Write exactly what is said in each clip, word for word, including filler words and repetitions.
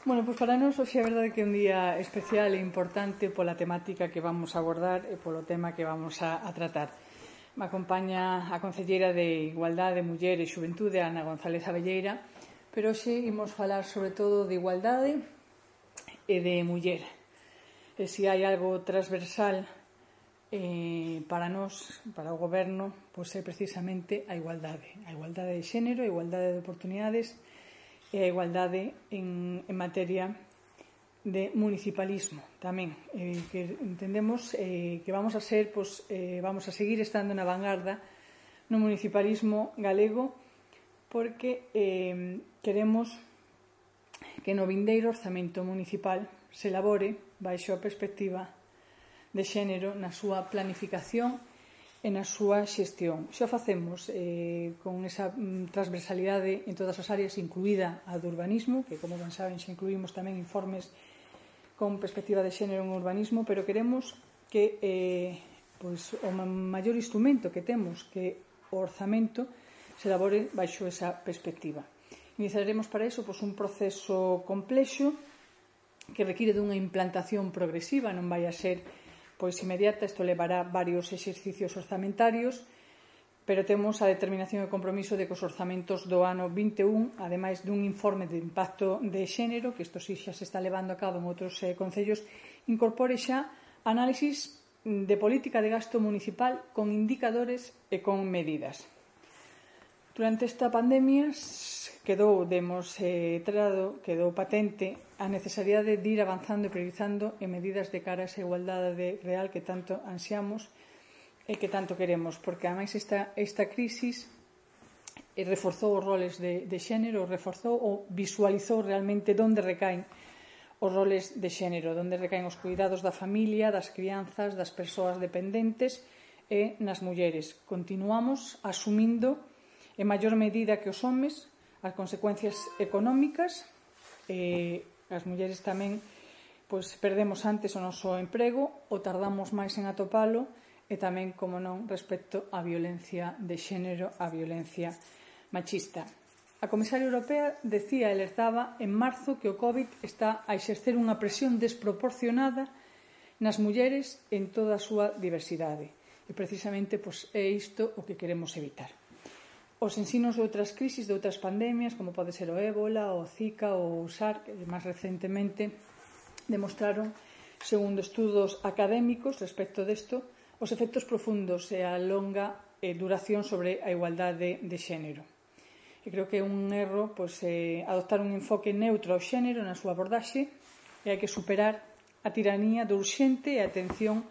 Bueno, pois para nós hoxe é verdade que é un día especial e importante pola temática que vamos a abordar e polo tema que vamos a, a tratar. Me acompaña a concelleira de Igualdade, Muller e Xuventude, Ana González Abelleira, pero hoxe imos falar sobre todo de igualdade e de muller. E se hai algo transversal eh, para nós, para o goberno, pois é precisamente a igualdade. A igualdade de xénero, a igualdade de oportunidades e a igualdade en, en materia de municipalismo tamén, eh, que entendemos eh, que vamos a ser, pues, eh, vamos a seguir estando na vanguarda no municipalismo galego, porque eh, queremos que no vindeiro orzamento municipal se elabore baixo a perspectiva de xénero na súa planificación e na súa xestión. Xa facemos eh, con esa mm, transversalidade en todas as áreas, incluída a do urbanismo, que, como ben saben, xa incluímos tamén informes con perspectiva de xénero en urbanismo, pero queremos que eh, pois, o maior instrumento que temos, que o orzamento, se elabore baixo esa perspectiva. Iniciaremos para iso pois, un proceso complexo que require dunha implantación progresiva, non vai a ser pois inmediata, isto levará varios exercicios orzamentarios, pero temos a determinación e compromiso de que os orzamentos do ano vinte e un, ademais dun informe de impacto de xénero, que isto sí xa se está levando a cabo en outros eh, concellos, incorpore xa análisis de política de gasto municipal con indicadores e con medidas. Durante esta pandemia quedou demostrado, quedou patente a necesidade de ir avanzando e priorizando en medidas de cara a esa igualdade real que tanto ansiamos e que tanto queremos, porque ademais esta, esta crisis reforzou os roles de, de xénero, reforzou ou visualizou realmente onde recaen os roles de xénero, onde recaen os cuidados da familia, das crianzas, das persoas dependentes e nas mulleres. Continuamos asumindo en maior medida que os homes as consecuencias económicas, e as mulleres tamén pois, perdemos antes o noso emprego ou tardamos máis en atopalo, e tamén, como non, respecto á violencia de xénero, á violencia machista. A comisaria europea decía, alertaba en marzo, que o COVID está a exercer unha presión desproporcionada nas mulleres en toda a súa diversidade. E precisamente pois, é isto o que queremos evitar. Os ensinos de outras crisis, de outras pandemias, como pode ser o ébola, o zika ou o SARS, que máis recentemente demostraron, segundo estudos académicos respecto desto, os efectos profundos e a longa duración sobre a igualdade de xénero. E creo que é un erro pois, eh, adoptar un enfoque neutro ao xénero na súa abordaxe, e hai que superar a tiranía do urxente e a atención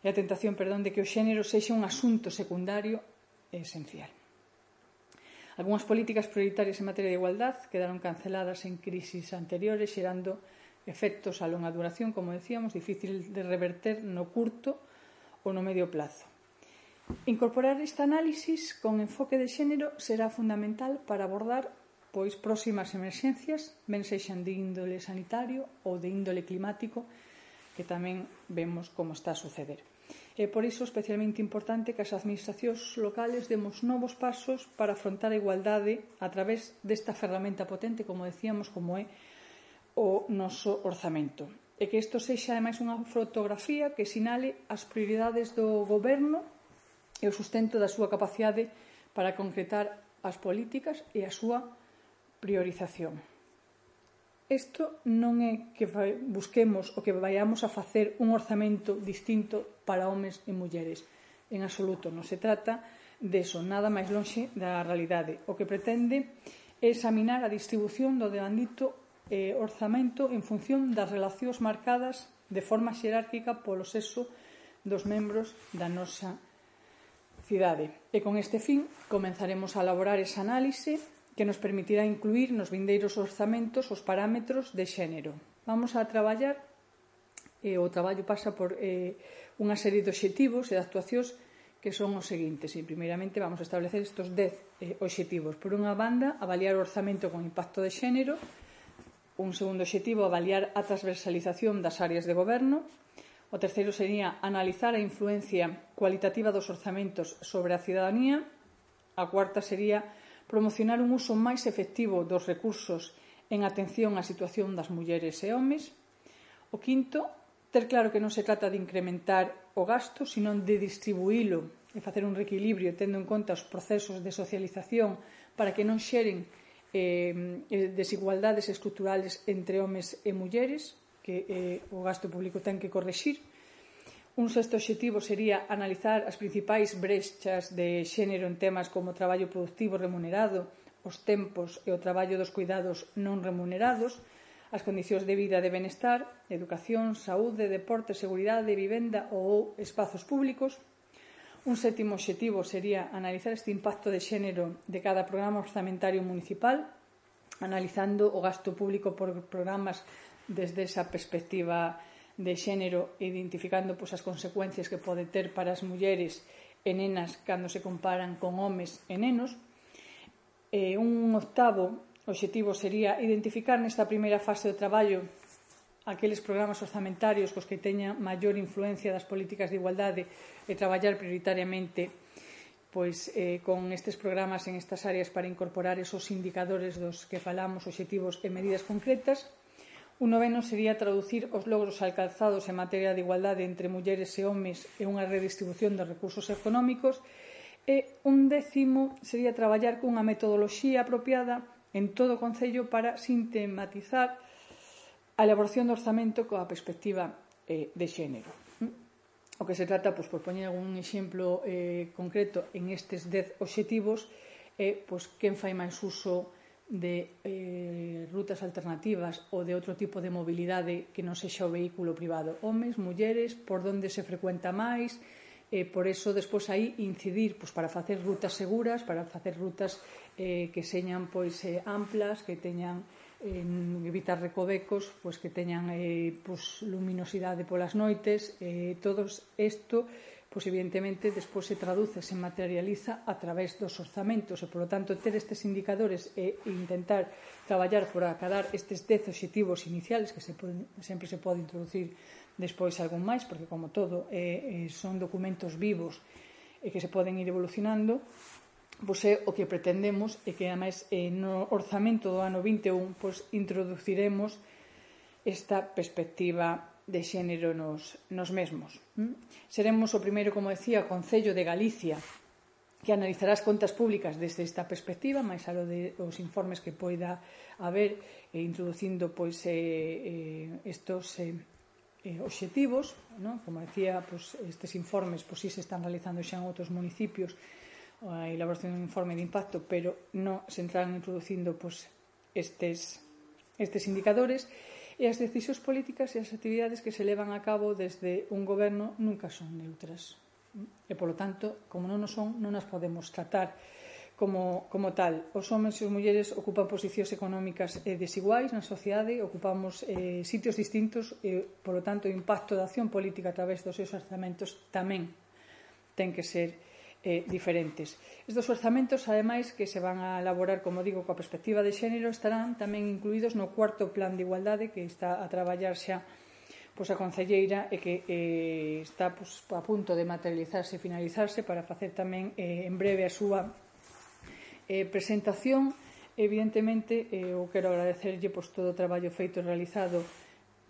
e a tentación, perdón, de que o xénero sexa un asunto secundario e esencial. Algúnas políticas prioritarias en materia de igualdade quedaron canceladas en crisis anteriores, xerando efectos a longa duración, como decíamos, difícil de reverter no curto ou no medio plazo. Incorporar este análisis con enfoque de xénero será fundamental para abordar pois, próximas emerxencias, ben sexan de índole sanitario ou de índole climático, que tamén vemos como está a suceder. É por iso especialmente importante que as administracións locales demos novos pasos para afrontar a igualdade a través desta ferramenta potente, como decíamos, como é o noso orzamento. E que isto sexa, ademais, unha fotografía que sinale as prioridades do goberno e o sustento da súa capacidade para concretar as políticas e a súa priorización. Isto non é que busquemos o que vayamos a facer un orzamento distinto para homes e mulleres. En absoluto, non se trata de eso, nada máis lonxe da realidade. O que pretende é examinar a distribución do devandito eh, orzamento en función das relacións marcadas de forma xerárquica polo sexo dos membros da nosa cidade. E con este fin comenzaremos a elaborar esa análise que nos permitirá incluir nos vindeiros orzamentos os parámetros de xénero. Vamos a traballar, e o traballo pasa por eh, unha serie de obxectivos e de actuacións que son os seguintes. E, primeiramente, vamos a establecer estes dez eh, obxectivos. Por unha banda, avaliar o orzamento con impacto de xénero. Un segundo obxectivo, avaliar a transversalización das áreas de goberno. O terceiro sería analizar a influencia cualitativa dos orzamentos sobre a cidadanía. A cuarta sería promocionar un uso máis efectivo dos recursos en atención á situación das mulleres e homes. O quinto, ter claro que non se trata de incrementar o gasto, senón de distribuílo e facer un reequilibrio tendo en conta os procesos de socialización para que non xeren eh, desigualdades estruturales entre homes e mulleres que eh, o gasto público ten que correxir. Un sexto obxectivo sería analizar as principais brechas de xénero en temas como o traballo productivo remunerado, os tempos e o traballo dos cuidados non remunerados, as condicións de vida e de benestar, educación, saúde, deporte, seguridade, vivenda ou espazos públicos. Un sétimo obxectivo sería analizar este impacto de xénero de cada programa orzamentario municipal, analizando o gasto público por programas desde esa perspectiva de xénero, identificando pois, as consecuencias que pode ter para as mulleres e nenas cando se comparan con homes e nenos. E un octavo obxectivo sería identificar nesta primeira fase do traballo aqueles programas orzamentarios cos que teñan maior influencia das políticas de igualdade e traballar prioritariamente pois, eh, con estes programas en estas áreas para incorporar esos indicadores dos que falamos, obxectivos e medidas concretas. Un noveno sería traducir os logros alcanzados en materia de igualdade entre mulleres e homes e unha redistribución dos recursos económicos. E un décimo sería traballar cunha metodoloxía apropiada en todo o Concello para sistematizar a elaboración do orzamento coa perspectiva eh, de xénero. O que se trata, pois, por poñer algún exemplo eh, concreto en estes dez obxectivos, é eh, pois, quen fai máis uso de eh, rutas alternativas ou de outro tipo de mobilidade que non sexa o vehículo privado. Homes, mulleres, por onde se frecuenta máis, eh, por eso, despois, aí incidir pois, para facer rutas seguras, para facer rutas eh, que señan pois, eh, amplas, que teñan eh, evitar recovecos, pois, que teñan eh, pois, luminosidade polas noites. Eh, todo isto pois evidentemente despois se traduce, se materializa a través dos orzamentos e, polo tanto, ter estes indicadores e intentar traballar por acadar estes dez obxectivos iniciales que se poden, sempre se pode introducir despois algún máis, porque, como todo, eh, son documentos vivos e que se poden ir evolucionando, pois é o que pretendemos e que, ademais, eh, no orzamento do ano vinte e un pois, introduciremos esta perspectiva de xénero nos, nos mesmos. ¿Mm? Seremos o primeiro, como decía, Concello de Galicia que analizará as contas públicas desde esta perspectiva, máis alo de os informes que poida haber, eh, introducindo pois, eh, eh, estos eh, eh, obxectivos, ¿no? Como decía, pois, estes informes pois, sí se están realizando xa en outros municipios a elaboración dun informe de impacto, pero non se entrarán introducindo pois, estes, estes indicadores. E as decisións políticas e as actividades que se levan a cabo desde un goberno nunca son neutras. E, polo tanto, como non o son, non as podemos tratar como, como tal. Os homens e as mulleres ocupan posicións económicas eh, desiguais na sociedade, ocupamos eh, sitios distintos e, polo tanto, o impacto da acción política a través dos seus orzamentos tamén ten que ser Eh, diferentes. Estes orzamentos, ademais, que se van a elaborar, como digo, coa perspectiva de xénero, estarán tamén incluídos no cuarto plan de igualdade que está a traballar xa pois, a concelleira e que eh, está pois, a punto de materializarse e finalizarse para facer tamén eh, en breve a súa eh, presentación. Evidentemente, eh, eu quero agradecerlle pois, todo o traballo feito e realizado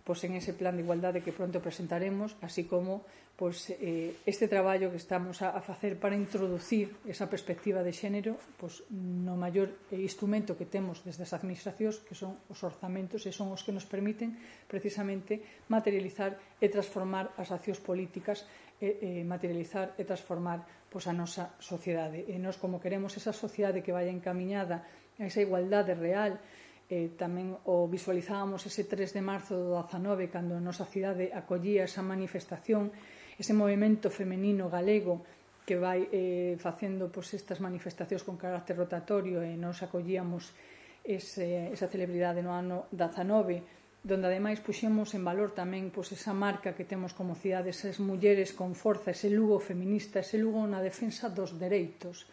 pois, en ese plan de igualdade que pronto presentaremos, así como pois, eh, este traballo que estamos a, a facer para introducir esa perspectiva de xénero pois, no maior instrumento que temos desde as administracións, que son os orzamentos, e son os que nos permiten precisamente materializar e transformar as accións políticas, e, e materializar e transformar pois, a nosa sociedade. E nós, como queremos esa sociedade que vaya encamiñada a esa igualdade real, Eh, tamén o visualizábamos ese tres de marzo do dezanove, cando a nosa cidade acollía esa manifestación, ese movimento femenino galego que vai eh, facendo pois, estas manifestacións con carácter rotatorio, e nos acollíamos ese, esa celebridade no ano dezanove, donde ademais puxemos en valor tamén pois, esa marca que temos como cidade, esas mulleres con forza, ese Lugo feminista, ese Lugo na defensa dos dereitos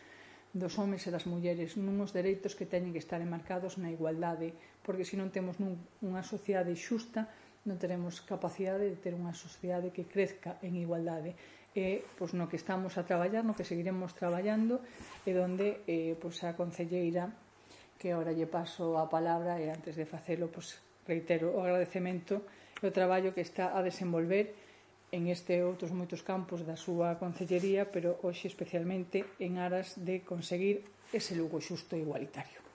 dos homes e das mulleres, nuns dereitos que teñen que estar enmarcados na igualdade, porque se non temos nun, unha sociedade xusta, non teremos capacidade de ter unha sociedade que crezca en igualdade. E pois, no que estamos a traballar, no que seguiremos traballando, e donde eh, pois, a concelleira que ahora lle paso a palabra, e antes de facelo, pois, reitero o agradecemento e o traballo que está a desenvolver en este e outros moitos campos da súa concellería, pero hoxe especialmente en aras de conseguir ese Lugo xusto e igualitario.